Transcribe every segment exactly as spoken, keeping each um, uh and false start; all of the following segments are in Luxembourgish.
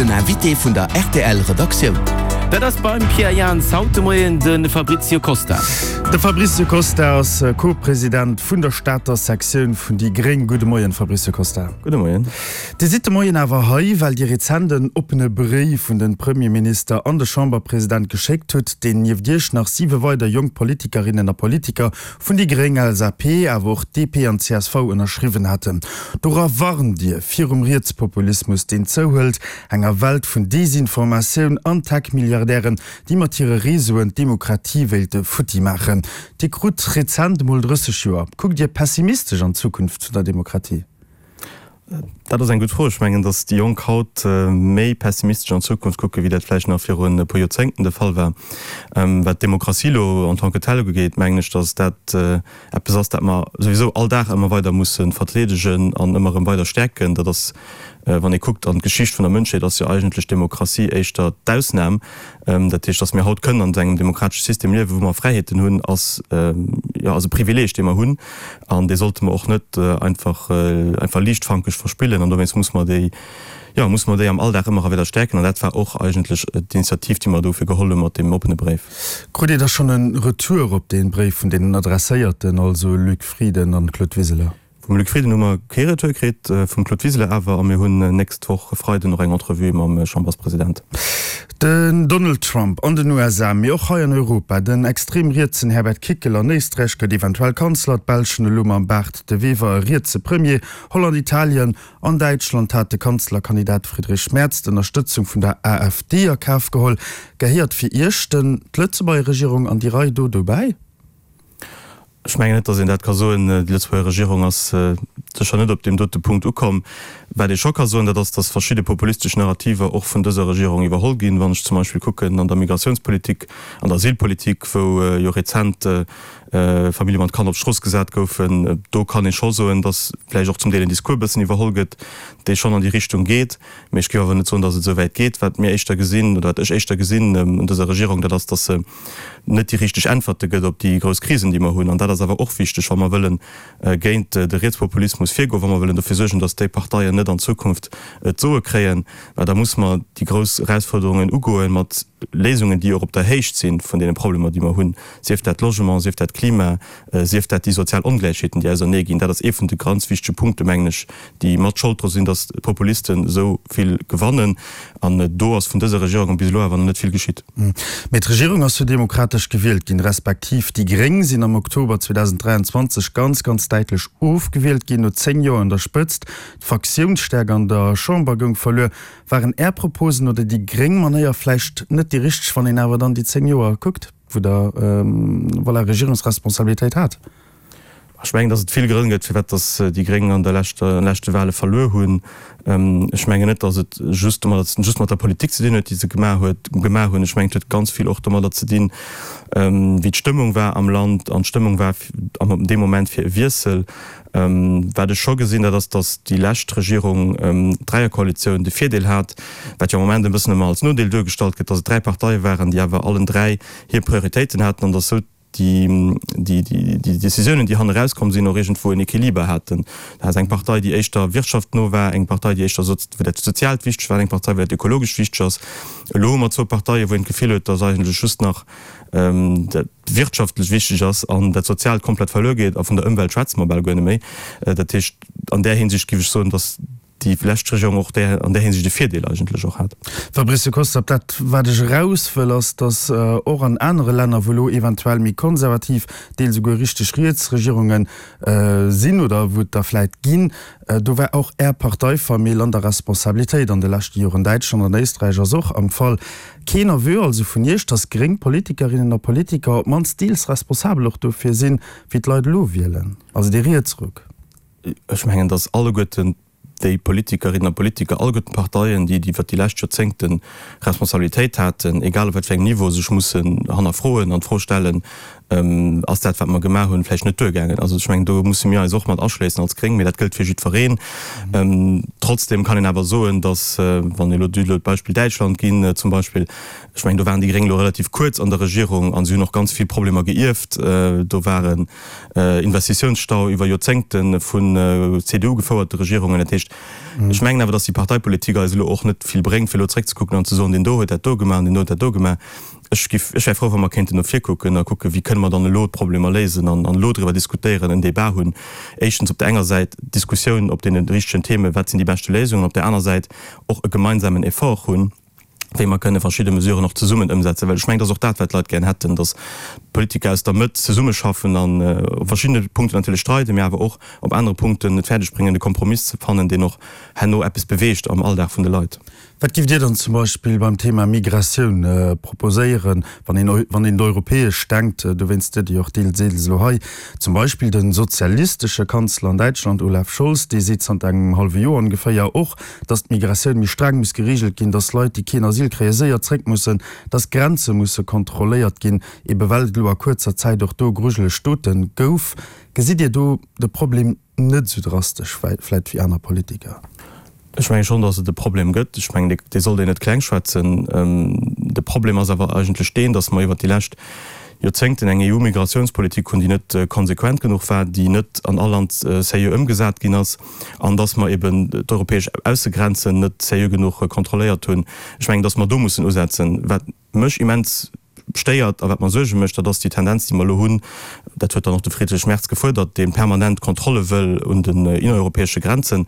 Den Invité vun der R T L Redaktioun. Dat ass beim Pierre Jans haut de Moien de Fabrizio Costa. De Fabrizio Costa ass Co-President vun der Stater Sektioun vun déi Gréng. Gudde Moien, Fabrizio Costa. Gudde Moien. Dir sidd de Moien awer hei, well Dir rezent en oppene Bréif un de Premierminister an de Chamberpresident geschéckt hutt, deen nieft Iech nach siwe weider jonk Politikerinnen a Politiker vun déi Gréng, L S A P, awer och D P an C S V ënnerschriwwen haten. Dora warnt Dir virum Rietspopulismus, deen zouhëlt, enger Welt vun Desinformatioun an Tech-Milliardären, déi mat hire Reseauen d'Demokratie wéilte futti maachen. Dir krut rezent mol drësseg Joer. Kuckt Dir pessimistesch an d'Zukunft vun der Demokratie? Dat ass eng gutt Fro. Ech mengen, datt déi Jonk haut méi pessimistesch an d'Zukunft kucken, wéi dat vläicht nach virun e puer Joerzéngten de Fall war. Wat d'Demokratie lo en tant que telle ugeet, mengen ech, datt dat eppes ass, dat mer souwisou all Dag ëmmer weider musse verdeedegen an ëmmer erëm weider stäerken. Dat ass, wann ee kuckt an d'Geschicht vun der Mënschheet, ass jo eigentlech d'Demokratie éischter d'Ausnam. Dat heescht, datt mir haut kënnen an engem demokratesche System liewen, wou mer Fräiheeten hunn, ass, jo, ass e Privileeg, dee mer hunn, an dee sollte mer och net einfach, einfach liichtfankeg verspillen. An dowéinst muss mer déi, jo, muss mer déi am Alldag ëmmer erëm weider stäerken. An dat war och eigentlech d'Initiativ, déi mer dofir geholl hu mat deem oppene Bréif. Krut Dir da schonn e Retour op dee Bréif vun deenen Adresséierten, also Luc Frieden an Claude Wiseler? Vum Luc Frieden hu mer kee Retour kritt, vum Claude Wiseler awer, a mir hunn nächst Woch e Freiden och eng Entrevue mam Chamberspresident. Den Donald Trump an den U S A, mee och hei an Europa, den extrem rietsen Herbert Kickl an Éisträich gëtt eventuell Kanzler, d'Belsch hunn elo mam Bart De Wever e rietse Premier, Holland, Italien an Däitschland hat de Kanzlerkandidat Friedrich Merz d'Ënnerstëtzung vun der A F D a Kaf geholl. Gehéiert fir Iech denn d'Lëtzebuerger Regierung an déi Rei do dobäi? Ech mengen net, datt een dat ka soen. Déi Lëtzebuerger Regierung ass sécher net op deem dote Punkt ukomm. Wat ee scho ka soen, dat ass, datt verschidde populistesch Narrativer och vun dëser Regierung iwwerholl ginn. Wann ech zum Beispill kucken an der Migratiounspolitik, an der Asylpolitik, wou jo rezent Famillje mat Kanner op d'Strooss gesat goufen, do kann ee scho soen, datt vläicht och zum Deel en Discours e bëssen iwwerholl gëtt, dee schonn an déi Richtung geet. Mee ech géif awer net soen, datt et esou wäit geet. Wat mir éischter gesinn, oder wat ech éischter gesinn un dëser Regierung, dat ass, datt se net déi richteg Äntwerte gëtt op déi grouss Krisen, déi mer hunn. An dat ass awer och wichteg, wa mer wëllen géint de Rietspopulismus virgoen, wa mer wëllen dofir suergen, datt déi Parteien net an Zukunft d'Soe kréien, well da muss mer déi grouss Erausfuerderungen ugoen mat Léisungen, déi och op der Héicht si vun deene Problemer, déi mer hunn, sief dat Logement, sief dat Klima, sief dat déi sozial Ongläichheeten, déi ausernee ginn. Dat ass ee vun de ganz wichtege Punkte, mengen ech, déi mat Schold dru sinn, datt d'Populisten esou vill gewannen. An do ass vun dëser Regierung bis elo awer nach net vill geschitt. Mee d'Regierung ass jo demokratesch gewielt ginn, respektiv déi Gréng sinn am Oktober zweedausend dräianzwanzeg ganz, ganz däitlech ofgewielt ginn, no zéng Joer un der Spëtzt. D'Fraktiounsstäerkt an der Chamber goung verluer. Waren Är Proposen oder déi gréng Manéier vläicht net déi richteg, wann een awer dann déi zéng Joer kuckt, wou Der, voilà, Regierungsresponsabilitéit hat? Ech mengen, datt et vill Grënn gëtt, firwat datt déi Gréng an der leschter, leschte Wahle verluer hunn. Ech mengen net, datt et just domadder, just mat der Politik ze dinn huet, déi se gemaach huet, gemaach hunn. Ech mengen, et huet ganz vill och domadder ze dinn, wéi d'Stëmmung war am Land, an d'Stëmmung war am deem Moment fir e Wiessel. Wat ech scho gesinn, dat ass, datt déi lescht Regierung, d'Dräierkoalitioun, de Virdeel hat, wat jo am Moment e bëssen ëmmer als Nodeel duergestallt gëtt, datt et dräi Parteie waren, déi awer allen dräi hir Prioritéiten haten an datt esou déi, déi, déi, déi Décisiounen, déi hanne rauskomm sinn, och iergendwou en Equiliber haten. Da ass eng Partei, déi éischter wirtschaftno war, eng Partei, déi éischter wou dat Soziaalt wichteg war, eng Partei, wou dat Ökologescht wichteg ass. Elo hu mer zwou Parteien, wou een d'Gefill huet, datt eigentlech just nach dat Wirtschaftlech wichteg ass an dat Soziaalt komplett verluer geet, a vun der Ëmwelt schwätze mer bal guer net méi. Dat heescht, an där Hinsicht géif ech soen, datt déi lescht Regierung och där, an där Hinsicht e Virdeel eigentlech och hat. Fabrice Costa, dat wat ech eraus wëll, ass, datt och an anere Länner, wou elo eventuell méi konservativ, deels esouguer richteg riets Regierunge sinn oder wou et der vläit ginn, do war och Är Parteifamill an der Responsabilitéit an de leschte Joren. Däitschland an Éisträich ass och am Fall. Keen Aveu also vun Iech, datt gréng Politikerinnen a Politiker op d'mannst deels responsabel och dofir sinn, wéi d'Leit elo wielen, also dee Rietsruck? Ech mengen, datt alleguerten déi Politikerinnen a Politiker, alleguerten d'Parteien, déi iwwert déi lescht Joerzéngte Responsabilitéit haten, egal op wat fir engem Niveau, sech mussen hannerfroen an d'Fro stellen, ass dat, wat mer gemaach hunn, vläicht net duergaangen. Also ech mengen, do musse mir eis och mat aschléissen als Gréng, mee dat gëllt fir jiddwereen. Trotzdem kann een awer soen, datt, wann elo Dir elo d'Beispill Däitschland ginn zum Beispill, ech mengen, do waren déi Gréng elo relativ kuerz an der Regierung a si hunn och ganz vill Problemer geierft. Do war en Investitiounsstau iwwer Joerzéngte vun C D U-gefouerte Regierungen. Dat heescht, ech mengen awer, datt déi Parteipolitik eis elo och net vill bréngt, fir elo zréckzekucken an ze soen, deen do huet dat do gemaach an deen do huet dat do gemaach. Ech giff, ech wär frou, wa mer kéinten no vir kucken a kucken, wéi kënne mer dann elo d'Problemer léisen an elo driwwer diskutéieren, en Débat hunn, éischtens op der enger Säit d'Diskussioun op deene richtegen Themen, wat sinn déi beschte Léisungen, op där aner Säit och e gemeinsamen Effort hunn, wéi mer kënne verschidde Mesuren och zesummen ëmsetzen. Well ech mengen, dat ass och dat, wat d'Leit gären hätten, datt d'Politiker aus der Mëtt zesummeschaffen an op verschiddene Punkten natierlech streiden, mä awer och op anere Punkten et fäerdeg bréngen, e Kompromiss ze fannen, deen och herno eppes beweegt am Alldag vun de Leit. Wat giff Dir dann zum Beispill beim Thema Migratioun proposéieren, wann een wann een europäesch denkt, dowéinst sidd Dir jo och deels elo hei, zum Beispill de sozialistesche Kanzler an Däitschland Olaf Scholz, dee seet zanter engem hallwe Joer ongeféier och, datt d'Migratioun méi streng muss gereegelt ginn, datt Leit, déi keen Asyl kréien, séier zréck mussen, datt d'Grenze musse kontrolléiert ginn, ebe well et elo a kuerzer Zäit och do grujeleg Dote gouf. Gesitt Dir do de Problem net esou drastesch vläit wéi aner Politiker? Ech menge schonn, datt et e Problem gëtt. Ech mengen, dee sollt een net klengschwätzen. De Problem ass awer eigentlech deen, datt mer iwwert déi lescht Joerzéngten eng E U-Migratiounspolitik hunn, déi net konsequent genuch war, déi net an all Land seriö ëmgesat ginn ass an datt mer eben d'europäesch Aussegrenzen net seriö genuch kontrolléiert hunn. Ech mengen, datt mer do mussen usetzen. Wat mech immens stéiert a wat mer Suerge mécht, dat ass déi Tendenz, déi mer elo hunn, dat huet dann och de Friedrich Merz gefuerdert, dee permanent Kontrolle wëll un den innereuropäesche Grenzen.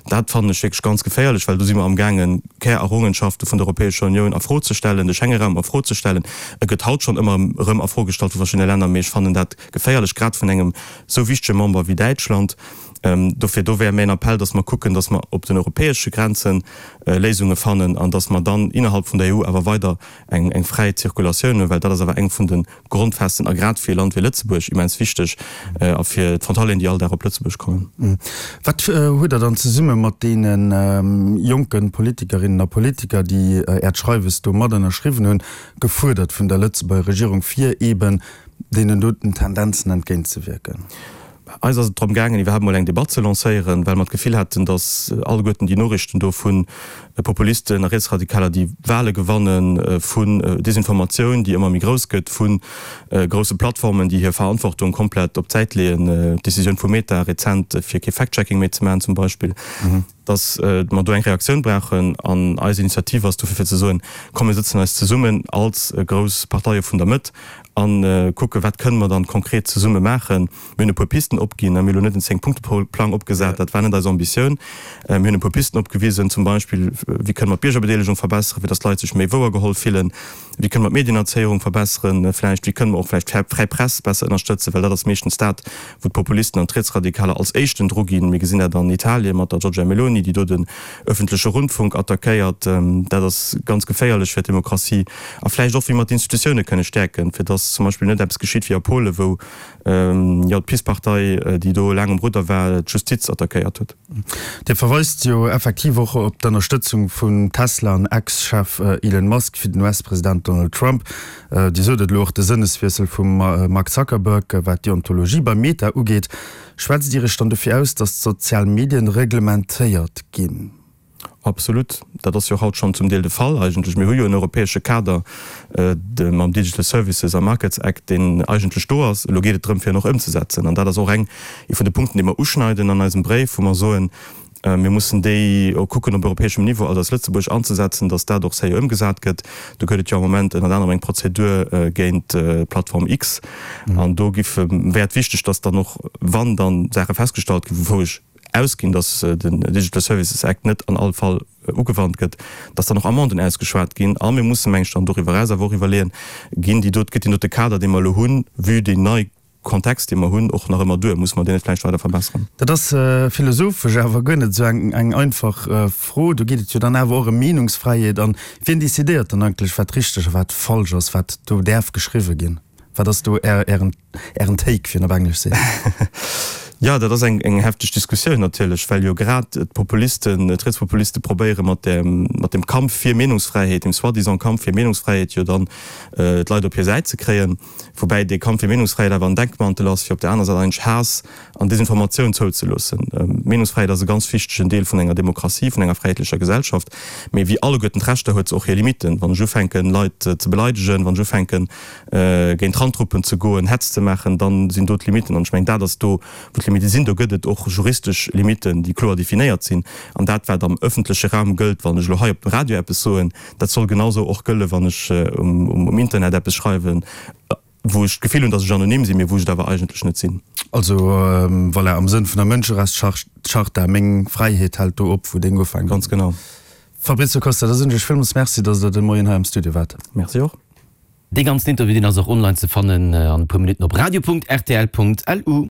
Dat fannen ech wierklech ganz geféierlech, well do si mer amgaangen, Kärerrungenschafte vun der Europäescher Unioun a Fro ze stellen, de Schengeraum a Fro ze stellen. E gëtt haut schonn ëmmer erëm a Fro gestallt vu verschiddene Länner, mee ech fannen dat geféierlech, grad vun engem esou wichtege Member wéi Däitschland. Dofir, do wär mäin Appell, dass mer kucken, dass mer op den europäesche Grenze Léisunge fannen an dass mer dann innerhalb vun der E U awer weider eng eng fräi Zirkulatioun hunn, well dat ass awer eng vun de Grondfesten a grad fir e Land wéi Lëtzebuerg immens wichteg a fir d'Frontalieren, déi all Dag op Lëtzebuerg kommen. Wat hutt Der dann zesumme mat deene jonke Politikerinnen a Politiker, déi Äert Schreiwes do mat ënnerschriwwen hunn, gefuerdert vun der Lëtzebuerger Regierung, fir eeben deenen doten Tendenzen entgéintzewierken? Eis ass et drëm gaangen, iwwerhaapt mol eng Debatt ze lancéieren, well mer d'Gefill haten, datt alleguerten déi Noriichten do vu Populisten a Rietsradikaler, déi Wahle gewannen, vun Desinformatioun, déi ëmmer méi grouss gëtt, vu grousse Plattformen, déi hir Verantwortung komplett op d'Säit leeën, d'Decisioun vu Meta rezent, fir kee Fact-Checking méi ze maachen zum Beispill, datt mer do eng Reaktioun brauchen. An eis Initiativ ass dofir, fir ze soen, Komm mir sëtzen eis zesummen als grouss Parteie vun der Mëtt a kucke wat kënne mer dann konkret zesumme maachen. Mir hunn e puer Pisten opginn, mir hunn elo net en Zéng-Punkte-Plang opgesat, dat war net eis Ambitioun. Mir hunn e puer Pisten opgewisen, zum Beispill, wéi kënne mer d'Biergerbedeelegung verbesseren, fir datt d'Leit sech méi wouergeholl fillen, wéi kënne mer d'Medienerzéierung verbesseren, vläicht, wéi kënne mer och vläicht d'fräi Press besser ënnerstëtzen, well dat ass meeschtens dat, wou d'Populisten an d'Rietsradikaler als éischten dru ginn. Mir gesinn dat an Italien mat der Giorgia Meloni, déi do den öffentleche Rundfunk attackéiert. Dat ass ganz geféierlech fir d'Demokratie. A vläicht och, wéi mer d'Institutioune kënne stäerken, fir datt zum Beispill net eppes geschitt wéi a Polen, wou jo d'PiS-Partei, déi do laang um Rudder war, d'Justiz attackéiert huet. Dir verweist jo effektiv och op d'Ënnerstëtzung vun Tesla an Ex-Chef Elon Musk fir den U S-President Donald Trump. Dir sot et elo, och de Sënneswiessel vum Mark Zuckerberg, wat d'Deontologie bei Meta ugeet. Schwätzt Dir Iech dann dofir aus, datt d'sozial Medien reglementéiert ginn? Absolut. Dat ass jo haut schonn zum Deel de Fall eigentlech. Mir hu jo en europäesche Kader mam Digital Services a Markets Act, deen eigentlech do ass. Elo geet et drëm, fir en och ëmzesetzen. An dat ass och eng ee vun de Punkten, déi mer uschneiden an eisem Bréif, wou mer soen, mir mussen déi och kucken op europäeschem Niveau, also als Lëtzebuerg anzesetzen, datt dat och seriö ëmgesat gëtt. Do gëtt et jo am Moment ënnert anerem eng Prozedur géint d'Plattform X. An do giff, wär et wichteg, datt dann och, wann dann Saache festgestallt ginn, wou ech ausginn, datt den Digital Services Act net an all Fall ugewannt gëtt, datt dann och Amenden ausgeschwat ginn. A mir mussen, meng ech, dann doriwwer eraus awer och iwwerleeën, ginn déi dot, gëtt deen dote Kader, dee mer elo hunn, vue déi nei Kontext, dee mer hunn, och nach ëmmer duer? Musse mer deen net vläicht weider verbessern? Dat ass philosophesch awer guer net esou eng, eng einfach Fro. Do geet et jo dann awer och ëm Meenungsfräiheet. An wien decidéiert dann eigentlech, wat richteg a wat falsch ass, wat do däerf geschriwwe ginn? Wat ass do Ären, Ären Take, wéi een op Englesch seet? Jo, dat ass eng eng hefteg Diskussioun natierlech, well jo grad d'Populisten, d'Rietspopuliste probéiere mat dem mat dem Kampf fir Meenungsfräiheet, dem soi-disant Kampf fir Meenungsfräiheet jo dann d'Leit op hir Säit ze kréien, woubäi dee Kampf fir Meenungsfräiheet awer en Deckmantel ass, fir op där aner Säit eigentlech Haass an Desinformatioun zouzeloossen. Meenungsfräiheet ass e ganz wichtegen Deel vun enger Demokratie, vun enger fräiheetlecher Gesellschaft, mee wéi alleguerten d'Rechter huet se och hir Limitten. Wann ech ufänken, Leit ze beleidegen, wann ech ufänken, géint Randgruppen ze goen, Hetz ze maachen, da sinn do d'Limitten. An ech mengen, dat ass do, wou d'Limitte sinn. Do gëtt et och juristesch Limitten, déi kloer definéiert sinn. An dat, wat am ëffentleche Raum gëllt, wann ech elo hei op dem Radio eppes soen, dat soll genausou och gëllen, wann ech um Internet eppes schreiwen, wou ech d'Gefill hunn, datt ech anonym sinn, mee wou ech et awer eigentlech net sinn. Also voilà, am Sënn vun der Mënscherechtscharta, meng Fräiheet hält do op, wou deng ufänkt. Ganz genau. Fabrizio Costa, da soen ech Iech villmools Merci, datt Der de Moien hei am Studio waart. Merci och. Dee ganzen Interview, deen ass och online ze fannen an e puer Minutten op radio.rtl.lu.